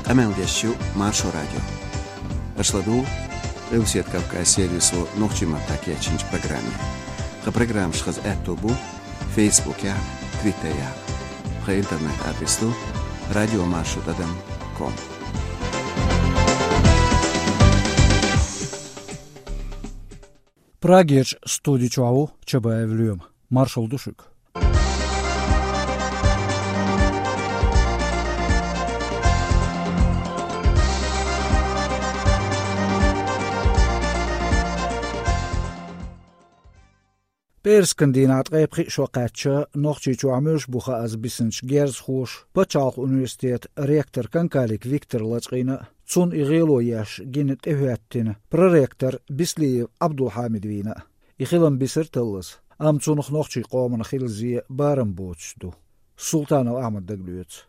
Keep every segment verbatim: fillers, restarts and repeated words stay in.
Къамел деш ю Маршо радио. Аша ладугӀу Къилбаседа Кавказ сервисо нохчийн маттахь кечйинчу программе. Тхан программаш хаза аьтто бу Фейсбукехь, Твиттерехь. Тхан интернет-адрес ду радиомаршо тӀадам ком. Прагерчу студи чохь ву Чабаев Лоьма. Маршалла ду шуьга. ПӀераскан дийнахь ткъе пхи шо кхаьчча, Нохчийчохь муьлш бу хаа бисинчу герзахоша пачхьалкхан университетан ректор Канкалик Виктор лачкъийна а, цунна и гӀело еш гина тӀехӀоьттина проректор Бислиев Ӏабдулхьамид вийна а. И хилам бисира таллаза, амма цунах нохчийн къомана хилла зен барам боцуш ду. Султанов Ахьмада дагалоьцу.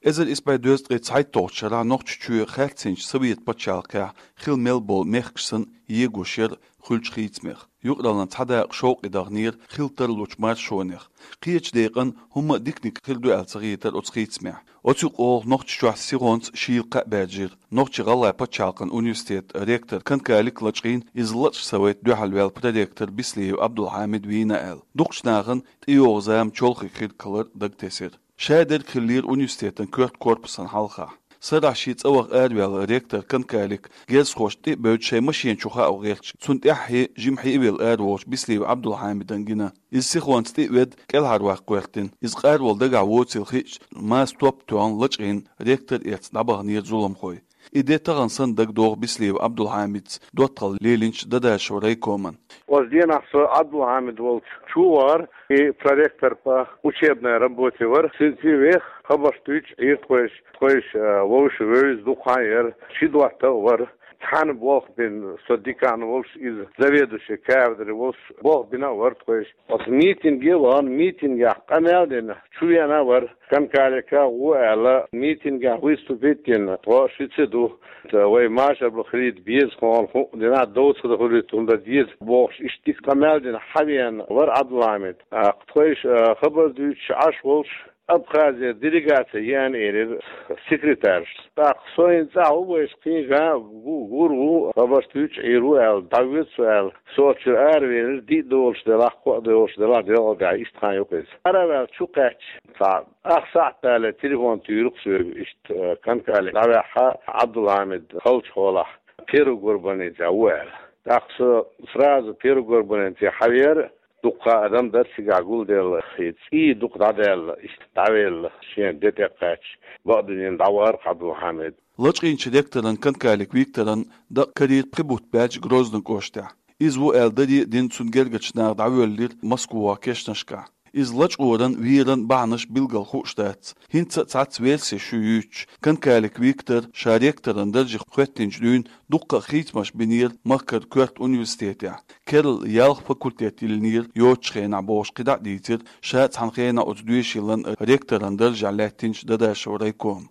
Эзар исс бӀе дезткъе цхьайтталгӀачу шарахь Нохчийчоь хаьрцинчу Советан пачхьалкхехь хилла мел болу мехкаш санна егош яра хуьлучу хийцамех. Юкъараллин цхьа дакъа шовкъе даханера хилла тарлучу маршонех. Кхечу декъана хӀумма а диканиг хир ду аьлла ца хетара оцу хийцамехь. Оцу юкъа олу Нохчийчохь сихонца шийла кхаъ баьржира. Нохчийн-ГӀалгӀайн пачхьалкхан университетан ректор Канкалик лачкъийна, иза лачкъа совета дуьхьал ваьлла проректор Бислиев Ӏабдулхьамид вийна аьлла. Дукхачу нахана тӀейогӀу зама чолхе хир кхалар дагатесира. Шадерг хиллера университетан коьрта корпусан хьалхахь. Сарахь шен цӀа ваха араваьлла ректор Канкалик герзахошна тӀе а бевдда шайн машен чу хаа гӀерташ, цунна тӀаьххье жимхье а велла араволучу Бислиев Ӏабдулхьамидан гина. Иза сихонца тӀе а ведда, кӀелхьарваккха гӀоьртина. Иза къаравала дагахь воцийла хиъча, маса топ а тоьхна лачкъийна ректор эцна дӀабаханера зуламхой. И де тахана санна дагадогӀу Бислиев Ӏабдулхьамица доттагӀалла лелийначу Дадашев райкоман. Оцу денахь со Ӏабдулхьамид волчу чу а вахара, и проректор по учебной работе вара. Цуьнца веха хабарш дуьйцуш Ӏийра тхойша, тхойша, а, вовшийн вевза дукха хан яра, ши дотта а вара. Цхьаьна болх бина, со декан волуш, иза заведующий кафедры волуш, болх бина а вара тхойша. Оцу митинге а вахана, митингехь къамел а дина, чу веана а вара. Канкалика гӀо аьлла, митингехь выступить дина, тхо шуьца ду. Вай машар бан хилийта беза, хӀокхунна хӀуъа дина, дов ца дан хуьлуьйту, хӀунда деза бохуш, иштта дика къамел а дина, хьавеана вара Ӏабдулхьамид. ТӀаккха тхойша, а, хабар дуьйцуш Ӏаш волуш, Абхазера делегаци еана элира секретарша. ТӀаккха со хӀинца цӀахь ву, вайша кхин ган ву, гур ву, хабарш дуьйцуш Ӏийр ву аьлла, дӀавоьду со аьлла. Со оцу чуьра аравелира, диъ долуш делахь, кхоъ долуш делахь, делкъа даьхьа иштта хан ю-кх иза. Ара а ваьлла чу кхаьчча, цхьа ах сахьт далале телефон туьйру-кх соьга, иштта, э, Канкалик дӀаваьхьа, Ӏабдулхьамид халчу хьолахь Первый Горбанецехь ву аьлла. ТӀаккха со сразу Первый Горбанецехь хьавеара, дуккха адам дара цигахь гулделла, и цӀий дукха дӀадаьлла, иштта дӀавелла, шен де тӀе а кхаьчча, бакъдуьненна дӀавахара-кх Ӏабдулхьамид. Лачкъийначу ректоран Канкалик Викторан дакъа карийра пхи бутт баьлча Грозный кӀоштехь. Иза ву аьлла даре а дина, цунна гергачу наха дӀавоьллира Москвахь кешнашкахь. Иза лачкъоран, веран бахьанаш билггал хууш дац. ХӀинца а цхьацца версеш ю юьйцуш, Канкалик Виктор ша ректоран даржех хӀоьттинчу дуьйна дуккха а хийцамаш бинера махкара коьрта университетехь. Керла ялх факультет йиллинера йоцучу хенахь бохуш кхидӀа а дийцира ша цхьана хенахь оцу доьшийлан ректоран даржехь лаьттинчу Дадашев райкома.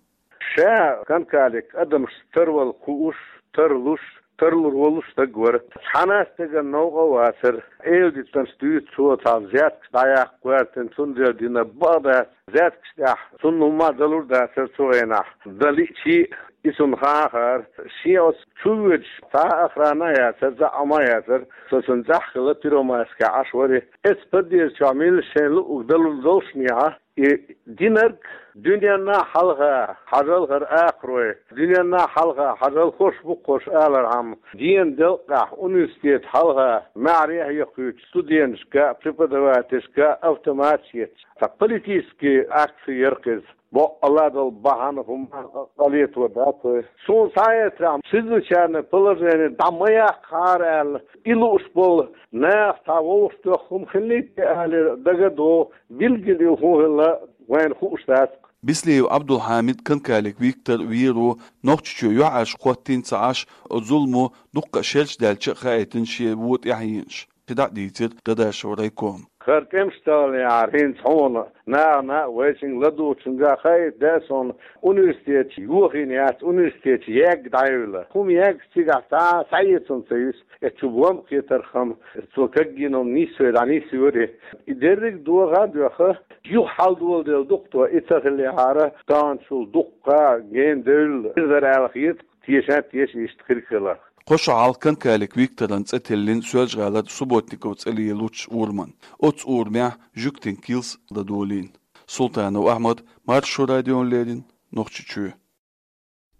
Ша Канкалик адамашца тарвала хууш, тарлуш, тарлур волуш стаг вара. Цхьана а стагана новкъа а вацара. Эладитанаш дуьйцу цо, цхьа взяткаш дӀаяккха гӀоьртина, цундела дина бакъ дац. Взяткаш тӀехь цунна хӀумма а далур дацара цу хенахь. Дан лиъчий а, и цунна хаа хаар. Шен оцу чу воьдуш цхьа а охрана а яцара, заӀам а яцара. Со цунна цӀахь хилла Первомайскехь Ӏаш вара. Эцу подъезда чохь милла шайна луъург далур доллушехь, и динарг дуьненна хьалха хьажал хӀара акхарой, дуьненна хьалха хьажал хӀорш бу-кх хӀорш алархьама, дена делкъехь университет хьалха маьхьарий а хьекхуьйтуш, студенташка а, преподавательшка а автоматаш етташ, цхьа политический акци яра-кх иза. Бакъалла долу бахьана хӀума къа-, къа летор дац вай. Суна схьаэцарехь, чрезвычайное положение дӀа ма яккхахьара аьлла, и лууш болу нах цхьа вовшахтоьхна хӀума хиллий те алий дага а догӀу, билггал хӀун хилла вайна хууш дац-кх. Бислиев Ӏабдулхьамид, Канкалик Виктор вийр ву, Нохчийчоь юьхьӀаьржа хӀоттийна ца Ӏаш, оцу зуламо дуккха а шераш даьлча а хаийтина шен вон тӀаьхьенаш. КхидӀа а дийцира Дадашев райкома. ХӀара тӀемаш таллинехьара хӀинца хьуна, нахана а, вайшинга ладугӀучуьнга а хаийта деза хьуна, университет йохийна яц, университет ягга дӀаевлла. ХӀума ягга цигахь цхьа а схьаэцна ца юьсу, эцу бомба кхетархьама, цо кагйина хӀума нийсве дӀанисйора. И дерриг а доха а доьхна, Юха хьалдоладелла ду-кх тхо, и ца хиллехьара, таханчул дуккха ген девлла хир дара аьлла хета, тешан а теша иштта хирг хиларх. Кхо шо хьалха Канкалик Викторан цӀе тиллина Соьлжа-ГӀалара Субботников цӀе лелочу урамна. Оцу урамехь жуьгтийн килс дан долийна. Султанов Ахьмад, Маршо радиона леррина, Нохчийчоь.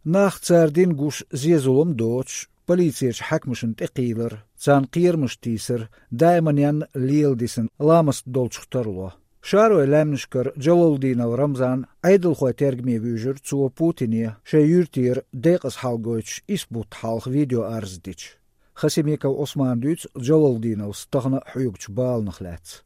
Нах, цара дина гуш, зен-зулам доцуш, полицерчу хьаькамашна тӀекхийлар, царна кхерамаш тийсар даиманна леладисна ламаст долчух тарло. Шаройн лаьмнашкара Джалалдинов Рамзан Ӏедалхойн тергаме вуьйжира цо Путине, шайн юьртара декъаза хьал гойтуш, исс бутт хьалха видеоарз дича. Хасимиков Ӏусмана дуьйцу Джалалдиновс тахана хьоьгучу баланах лаьцна.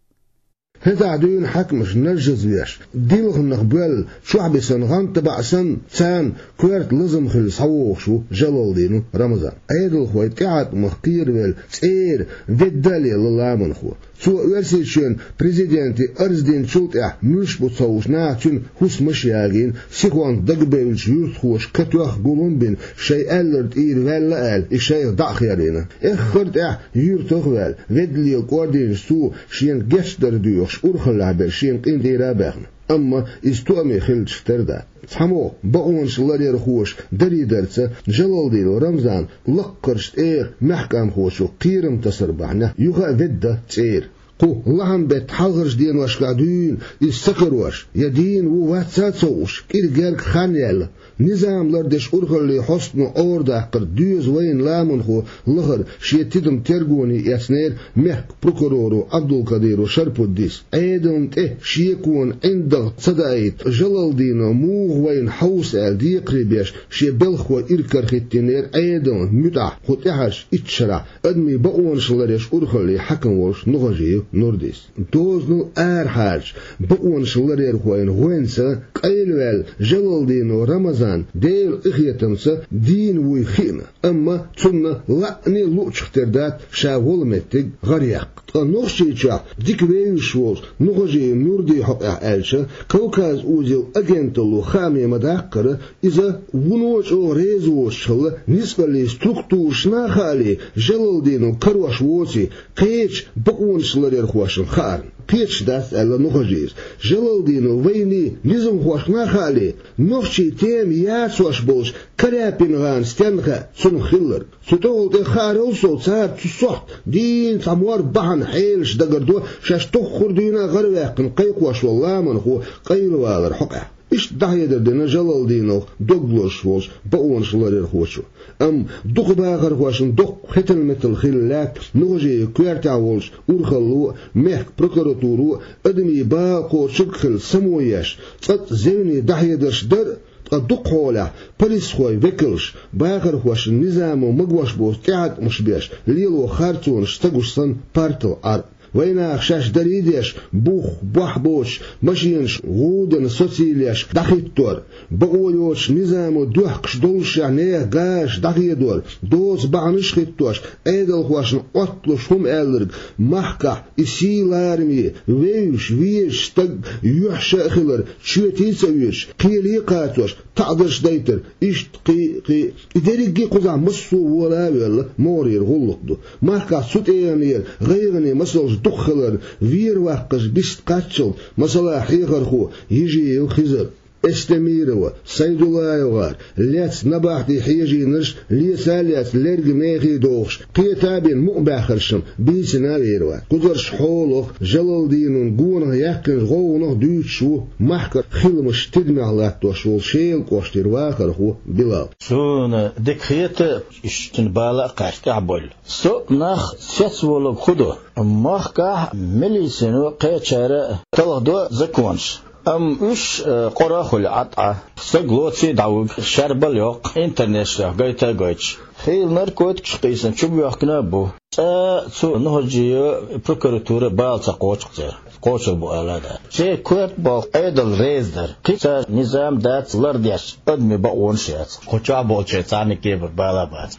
ХӀетахь дуьйна хьаькамаш наржазвеш, дилханах боьлла, чохь бисина гӀанта баӀ санна, царна коьрта лазам хилла схьавогӀуш ву Джалалдинов Рамзан. Ӏедалхойн тӀеӀаткъамах кхеравелла, цӀера ведда а лелла ламанхо. Цо Оьрсийчоьнан президенте арз динчул тӀаьхьа муьлш бу ца хууш, наха цуьнан хӀусамаш а ягийна, сихонца дагабевллачу юьртахоша катоьхна гулам а бина, шайн аьлларг тӀера ваьлла аьлла, и шайх дӀа а хьерийна. Эххар а тӀаьхьа юьртах а ваьлла, ведда лела кӀордийначу цо шена гечдар доьхуш, урхаллехь берш шена къинтӀера а баьхна. Амма иза тоаме хиллачух тера дац. ЦхьамогӀа бакъонаш ларъярхоша дарийдарца, Джалалдинов Рамзан лаккхарчу тӀегӀан маьхкамхочух кхерам тасар бахьанехь, юха а ведда цӀера. Кху лахьан-беттан хьалхарчу деношкахь дуьйна иза ца карош, я дийна ву-вац а ца хууш, кӀира-герга хан яьлла, низам лардеш урхаллин хьостано Ӏорадаккхар доьзна вайна ламанхо лахара шен тидам тергоне эцнера мехкан прокуроро Ӏабдулкадиров Шарпуддис. Ӏедална тӀе шеконан ӀиндагӀ ца даийта, Джалалдинов муха вайна хьовса аьлла декхаре беш, шен белхахой иракарахӀиттийнера Ӏедална муьтӀахь кху тӀаьхьарчу итт шарахь адамийн бакъонаш ларъеш урхаллин хьаькам волуш Нухажиев Нурдис. Дозанал арахьарчу бакъонаш ларъярхойн гӀоьнца къайлаваьлла Джалалдинов Рамазан Делан къинхетамца дийна вуй хиъна, амма цунна лаьӀна а луучух тера дац ша волу меттиг гӀаръяккха. Ткъа Нохчийчохь дика вевзаш волчу Нухажиев Нурдин хьокъехь аьлча, Кавказ узел агенталло хааме ма-даккхара, иза вуно а чӀогӀа реза воцуш хилла, ницкъаллин структурашна а хаале, Джалалдинов карош воций, кхечу бакъонаш ларъярхошна хаарна. Кхеташ дац, аьлла Нухажиевс. Джалалдинов вайний низамхошна а хаале, нохчийн тема яцош болчу Каряпин-гӀана стенна хаьа цунах хилларг. Цу тӀехула тӀе хаарал сов цара цу сохьта дийна цхьа мор бахьана хьелаш дагардо шаьш тоххара дуьйна а гӀараваьккхина кхайкхош волу ламанхо къайлавалар хьокъехь. Иштта дӀахьедар дина Джалалдиновх дог лозуш волчу бакъонаш ларъярхочо. Амма дукха бахархошна доккха хетал-метал хилла лаьтта Нухажиев коьртехь волчу урхалло а, мехкан прокуратуро а адамийн бала кхочург а хилла само еш, цкъацкъа зевне дӀахьедарш дар а, ткъа дукха хьолехь полисхойн векалш, бахархошна низамо магош боцу тӀеӀаткъамаш беш, лело харцонаш ца гуш санна, партал Ӏар. Вайнаха шаьш дарий деш, бух, бохь боцуш, машенаш гӀудана социлеш дӀахӀиттор, бакъо йоцуш низамо доьхкуш доллушехь нехан газаш дӀахедор, доцу бахьанаш а хӀиттош, Ӏедалхошна Ӏотталуш хӀума аьлларг, махкахь и сий лараме вевзаш, везаш стаг юьхьша а хилар, чоьтий а ца оьцуш, кхеле а кхачош, таӀзарш дайтар, иштта кхин а, кхин а. И дерриге а кхузахь массо а вола а воьлла, могӀарера гӀуллакх ду. Махкахь цу тӀегӀанера гӀайгӀане масалш дукха хиларна, вер-ваккхарш бист кхаччалц, масала, хьехархо Ежиев Хизар, Эстемирова СайдуллаевгӀар, лаьцна набахтий хьежийнарш леса а лаьцна, лерга мехий дохуш, кхета а бина, мукъабаьхнарш-м бийцина а вер вац. Кхузарш хьолах, Джалалдиновн гонах яьккхинчу гӀовгӀанах дуьйцуш ву махкара хиламаш тидамехь латтош волу Шелан кӀоштара вахархо Билал. Суна дика хета, иштта бала а кхаьчна тӀаьхьабевлла. Со нах цецволург хӀун ду? Махкахь милицино, кхечара талхадо законаш. Амма уьш, э, къора а хуьлу Ӏа тӀе, стаг лоций а дӀавуьгу, шарбал а йоккху, интернеташ тӀехь гайта а гойтуш. Хийла наркотикаш а къийсина чубоьхкина а бу. ЦӀа цу Нухажиевн, прокуратуран бала ца кхочу-кх церан. Кхочур бу ала а дац. Церан коьрта болу Ӏедал реза дара. Кхин цара низам дац лардеш, адамийн бакъонаш а яц. Кху чохь болчеран цхьаннега а бала а бац.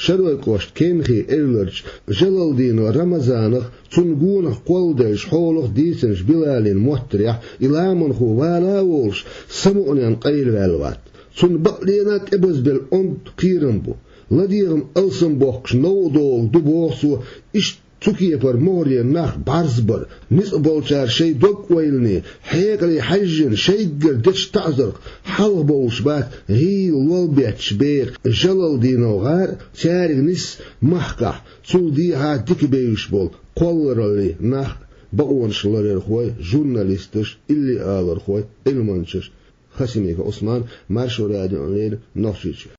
Шаройн кӀоштан Кенхин эвларчу Джалалдинов Рамазанах, цунна гонах кхолладеллачу хьолах дийцинчу Билалин моттарехь, и ламанхо вала а волуш, самукъаненна къайлаваьлла вац. Цунна бакълена а тӀебазбелла онда кхерам бу. ЛадегӀан алсам боккхуш новкъа догӀург ду, боху цо, иштта Цу кепара могӀаре нах бӀарзбар, ницкъ болчара шайн дог-ойлане, хьекъале хьаьжжина шайгара дечу таӀзарх хьалха бовлуш бац гӀийла лол бетташ беха Жалалдинов гӀар а, цаьрга нисса махкахь, цул дехьа дика бевзаш болу кхоллараллин нах а, бакъонаш ларъярхой, журналисташ, иллиалархой, Ӏилманчаш. Хасимиков Ӏусман, Маршо радиона леррина, Нохчийчоь.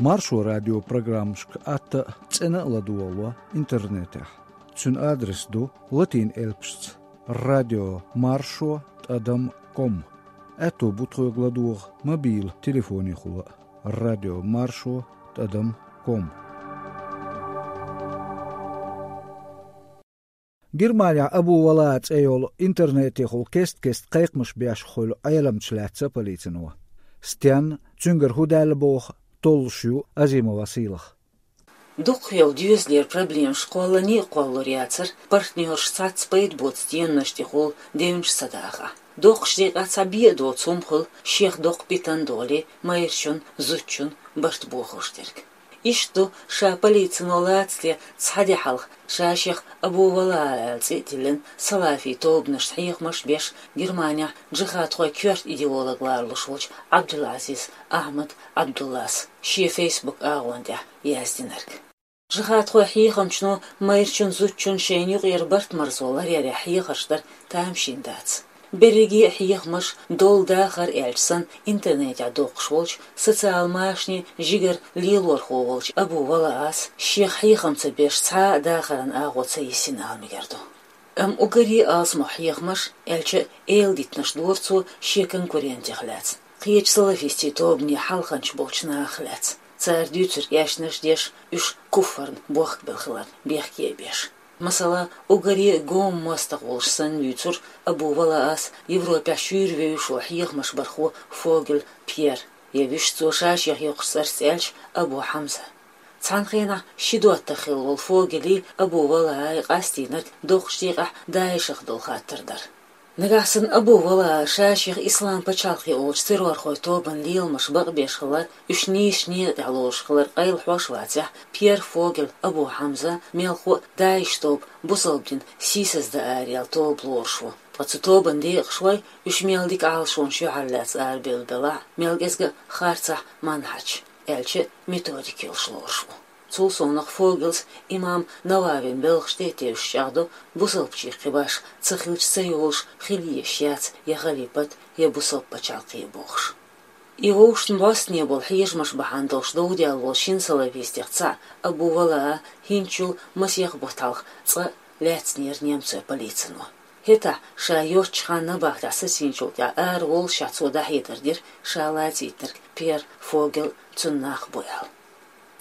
Маршо радион программашка атта а, цӀена а ладогӀало интернетехь. Цуьнан адрес ду латин элпашца: радио маршо тӀадам ком. Аьтто бу тхоьга ладогӀа мобилан телефонехула а: радио маршо тӀадам ком. Германехь Абу Валаа цӀе йолу интернетехула кест-кеста кхайкхамаш беш хуьлу Ӏеламчу лаьцна полицино. Стенна, цуьнгара хӀун даьлла боху, толлуш ю Азимова Сийлаха. Дукхахйолу доьзалера проблемаш кхоллане а кхоллалур яцара, партнераш цхьацца пайда боцу денонаш тӀехула девнаш ца дахахь. Доккхачу декъехь цхьа бен а доцу хӀума хуьлу, шех доккха питана долий, майрачун, зудчун барт бохуш дерг. Иштта ду ша полицино лаца де цхьа де хьалха ша-шех Абу Валаа аьлла цӀе а тиллина, салафи тобанашца хьехамаш а беш, Германехь джихадхойн коьрта идеолог лоруш волчу Ӏабдул-Ӏазиз Ахьмад Ӏабдуллас шен Facebook агӀон тӀехь яздинарг. Джихадхойн хьехамчано майрачун, зудчун шайна юкъера барт-марзо ларъярехь хьехарш дар тамашийна дац. Берриге а хьехамаш, долу дахар аьлча санна, интернетехь доккхуш волчу, социал машанийн жигара лелорхо волчу Абу Валаас шех хьехам ца беш цхьа а дахаран агӀо ца йисина ала мегар ду. Амма уггаре а алсамох хьехамаш, аьлча а, эладитанаш дора цо шен конкурентех лаьцна, кхечу салафистийн тобанийн хьалханчаш болчу нахах лаьцна, цара дуьйцург эшнаш а деш, уьш куффарна бохкабелла хиларна бехке а беш. Масала, уггаре а гома мостагӀа волуш санна дуьйцура Абу Валаас Европехь шуьйра вевзаш волу хьехамаш бархо Фогель Пьер, я вуьшта цо ша-шех йоккхучу цӀарца аьлча, Абу Хьамза. Цхьана хенахь ши доттагӀа хилла волу Фогели Абу Валаи къастийнарг доккхачу декъехь ДАИШах долу хаттар дара. Нагахь санна Абу Валаа ша-шех Ислам пачхьалкхе олучу террорхойн тобанан леламаш бакъбеш хилар, уьш нийсачу некъа тӀехь лоруш хилар къайлахьош а вацахь, Пьер Фогель Абу Хьамза мелхо а ДАИШ тоба бусалба дин сийсаздан араяьлла тоба лоруш ву. Ткъа цу тобанан декъашхой, уьш мел дика Ӏалашонаш юьхьарлаьцна арабевлла белахь а, мел кӀезга а харцахь манхьаж, аьлча а методика йолуш лоруш ву. Цул совнаха Фогелс имам Нававин белхаш тӀе а тевжаш чӀагӀдо, бусалбачех кхин башха ца хилча ца йолуш хила езаш яц я халипат, я бусалба пачхьалкхе бохуш. И вовшашна бӀостанехьа болу хьежамаш бахьана долуш довдаьлла волу шина салафистех цхьаъ Абу Валаа хӀинцачул масех бутт хьалха цкъа лаьцнера немцойн полицино. ХӀетахь, ша йоцчу ханна набахтехь сацийначул тӀаьхьа араволлушехь цо дӀахьедар дира ша лацийтинарг Пьер Фогель, цуьнан нах бу аьлла.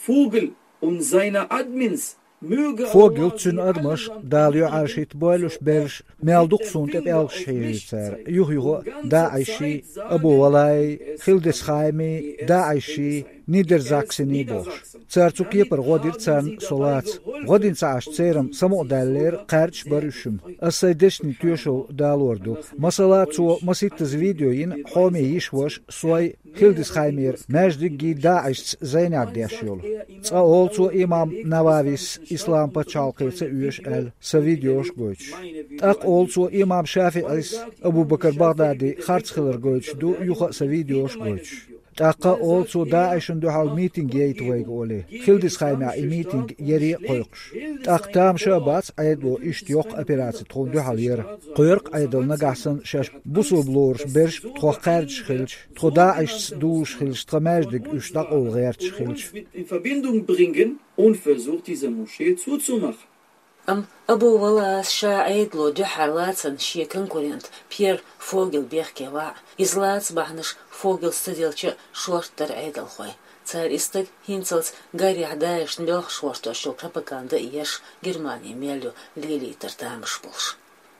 Vogel und seine Admins möge Фогел, цуьнан адамаш, Дала юьхьӀаьржа хӀитта бойла уьш берриш, мел дукха суна тӀе пӀелгаш хьежий цара, юха-юха а ДАИШ-ий, Абу Валаий, Хилдесхаймий, ДАИШ-ий, Нидерзаксений бохуш. Цара цу кепара гӀо дира царна, со лаца. ГӀо дина ца Ӏаш церан самукъадаьллера, кхаьрдаш бара уьш-м. Ас сайн дешнийн тоьшалла далор ду. Масала, цо масийттаза видео йина, хьоме йиша-ваша, сой, Хилдисхаймера маьждиггий ДАИШ-ца зӀенехь деш йолу. Цкъа олу цо имам Нававис ислам пачхьалкхе ца оьшу аьлла, сан видеош а гойтуш. ТӀаккха олу цо имам ШафиӀис Абу-Бакар БагӀдади харц хилар гойтуш ду, юха а сан видеош а гойтуш. ТӀаккха олу цо ДАИШ-ан дуьхьал митинг яйта вайга олий. Хилдисхаймехь и митинг яре а кхойкхуш. ТӀаккха тамаша а бац, Ӏедало иштта йоккха операци тхуна дуьхьал яра. Кхоьру-кх Ӏедало нагахь санна шаьш бусалба лоруш берш тхох кхаьрдаш хилча, тхо ДАИШ-ца дузуш хилча, тхан маьждиг уьш дӀакъовла гӀерташ хилча. Mit in Verbindung bringen und versucht, diese Moschee zuzumachen. Амма Абу Валаас ша Ӏедало дуьххьара лацарна шен конкурент Пьер Фогель бехке ваьӀ, иза лаца бахьанаш Фогелс ца делча а шортта дара Ӏедалхой. Цара и стаг хӀинцалц гарехь ДАИШ-на белхаш гӀортош йолу пропаганда а еш, Германи мел ю лелийтар тамаш болуш.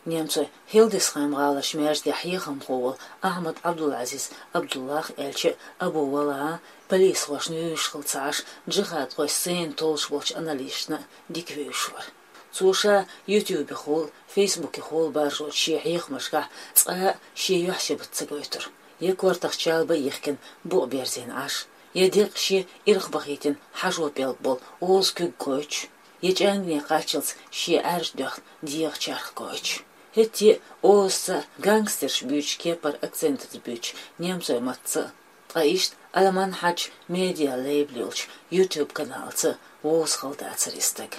Немцойн Хилдисхайм гӀаларчу маьждигехь хьехамхо волу Ахьмад Ӏабдул-Ӏазиз Ӏабдуллах, аьлча а, Абу Валаа полисхошна вевзаш хилла ца Ӏаш, джихадхойн сцена толлуш болчу аналисташна а дика вевзаш вара. Цо ша ютубехула, фейсбукехула баржочу шен хьехамашкахь цкъа а шен юьхь-сибат ца гойтура. Я кортах чалба а йихкина, букъ берзийна Ӏаш, я декъ шен ирхбахийтина хьажо пӀелг болу оза куьг гойтуш, я чӀагӀдина кхаччалц шен Ӏаьржа доьхна дегӀа чарх гойтуш. ХӀетте а озаца гангстерш буьйцучу кепара акцентаца буьйцуш немцойн маттаца а, ткъа иштта Ӏаламан Хьаьжин медиа лейбл йолчу YouTube каналца вовза хала дацара и стаг.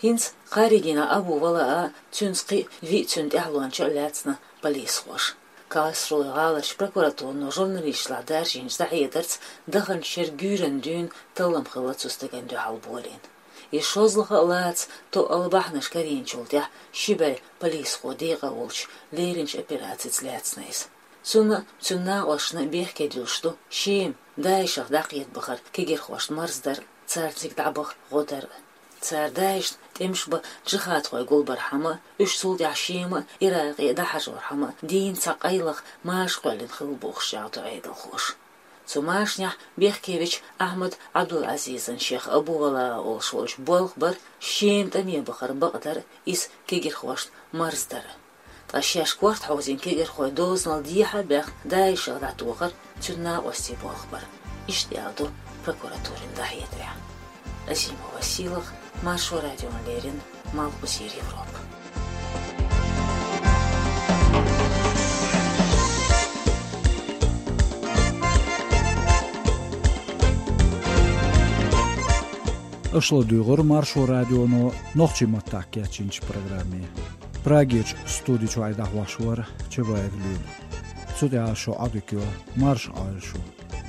ХӀинца кхааригина Абу Валаа, цуьнца кхин а виъ цуьнан тӀаьхьалонча а лаьцна полисхоша. Карлсруэ гӀаларчу прокуратуро журналисташлахь даржийначу дӀахьедарца, даханчу шеран гуьйранна дуьйна таллам хилла цу стагана дуьхьал болийна. И шозлагӀа а лаца тоъал бахьанаш карийначул тӀаьхьа ши бӀе полисхо декъа а волуш леринчу операцица лаьцна иза. Цунна а, цуьнан накъосташна а бехке дуьллуш ду Шема, ДАИШах дӀакхета бахаран кегирхошна марздар а, царна цига дӀабаха гӀо дар а. Цара ДАИШна тӀемаш бан джихадхой гулбархьама а, уьш цул тӀаьхьа Шема а, Иракъе а дӀахьажорхьама а, дийнна цхьа къайлаха маша кхоьллина хилла бохуш чӀагӀдо Ӏедалхоша. Цу машанехь бехке вечу Ахьмад Ӏабдул-Ӏазизан шех Абу Валаа олуш волчу болх бара Шема тӀаме бахаран бакъдар а, иза кегирхошна марздар а. Ткъа шаьш корта хьовзийна кегирхой дозанал дехьа а баьхна, ДАИШах дӀатохар цуьнан накъостийн болх бара. Иштта аьлла ду прокуратурин дӀахьедарехь. Азимова Сийлаха, Маршо радиона леррина, Малхбузера Европа. Аша ладуьйгӀира Маршо радионо нохчийн маттахь кечйинчу программе. Прагерчу студи чуьра дӀахьош вара Чабаев Лема. Цу тӀехь шун Ӏодика йо, марша Ӏойла шу.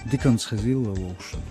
Диканца хезийла вовшашна.